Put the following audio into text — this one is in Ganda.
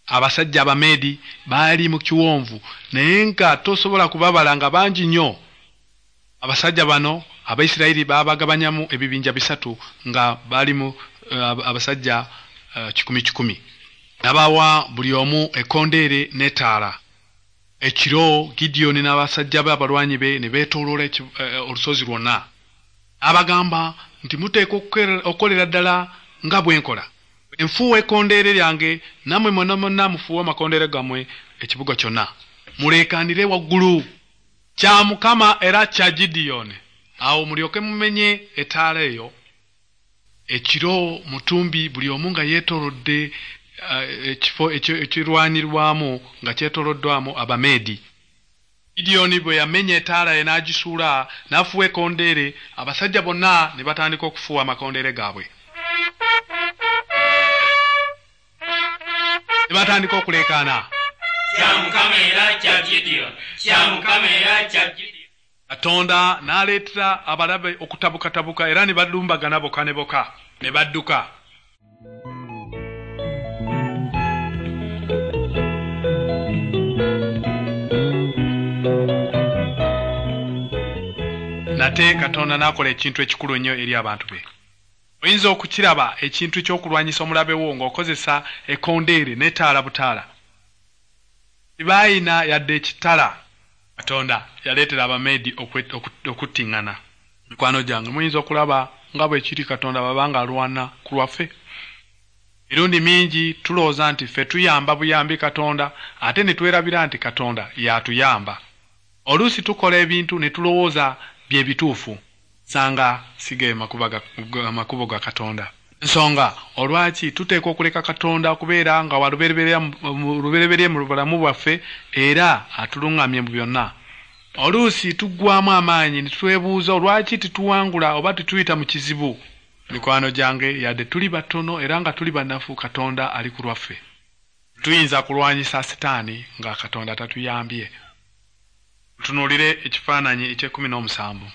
Abasajja Abameedi baali mu kiwonvu, naye nga tosobola kubabala, nga bangi nnyo. Abasajja bano Abaisirayiri baabagabanyamu ebibinja bisatu, nga balimu abasajja 1,000 1,000. N'abawa buli omu ekkondeere n'ettaala. Ekiro Gidiyoni n'abasajja be abalwanyi be ne beetooloola olusozi lwonna. N'abagamba nti, muteekwa okukolera ddala nga bwe nkola. Nfuuwa ekkondeere lyange, nammwe mwonna mwonna mufuuwe amakondeere gammwe ekibuga kyonna. Muleekaanire waggulu. Kya Mukama era kya Gidiyoni. Awo mulyoke mumenye ettaala eyo. Ekiro mutumbi buli omu nga yeetoolodde ekifo ekirwanirwamu nga kyetooloddwamu Abameedi. Gidiyoni bwe yamenya ettaala ye n'agisuula, n'afuuwa ekkondeere, abasajja bonna ne batandika okufuuwa amakondeere gaabwe. Ne batandika okuleekaana. Kya Mukama era kya Gidiyoni, kya Mukama era kya Gidiyoni. Katonda n'aleetera abalabe okutabukatabuka era ne balumbagana bokka ne bokka, ne badduka. Nate Katonda n'akola ekintu ekikulu ennyo eri abantu be. Oyinza okukiraba ekintu ky'okulwanyisa omulabe wo ng'okozesa ekkondeere n'ettaala butaala. Tebaayina yadde ekitala. Katonda yaleetera Abameedi okuttiŋŋana. Mikwano gyange, muyinza okulaba nga bwe kiri Katonda bw'aba alwana ku lwaffe. Emirundi mingi tulowooza nti ffe tuyamba buyambi Katonda, ate ne twerabira nti Katonda y'atuyamba. Oluusi tukola ebintu ne tulowooza bye bituufu, sanga si ge makubo ga Katonda. Ensonga olwaki tuteekwa okuleka Katonda okubeera nga wa lubereberye mu bulamu bwaffe era atuluŋŋamye mu byonna. Oluusi tuggwaamu amaanyi ne twebuuza olwaki tetuwangula oba tetuyita mu kizibu. Mikwano gyange, yadde tuli batono era nga tuli banafu, Katonda ali ku lwaffe. Tuyinza kulwanyisa Sitaani nga Katonda tatuyambye. Tutunuulire ekifaananyi eky'ekumi n'omusanvu.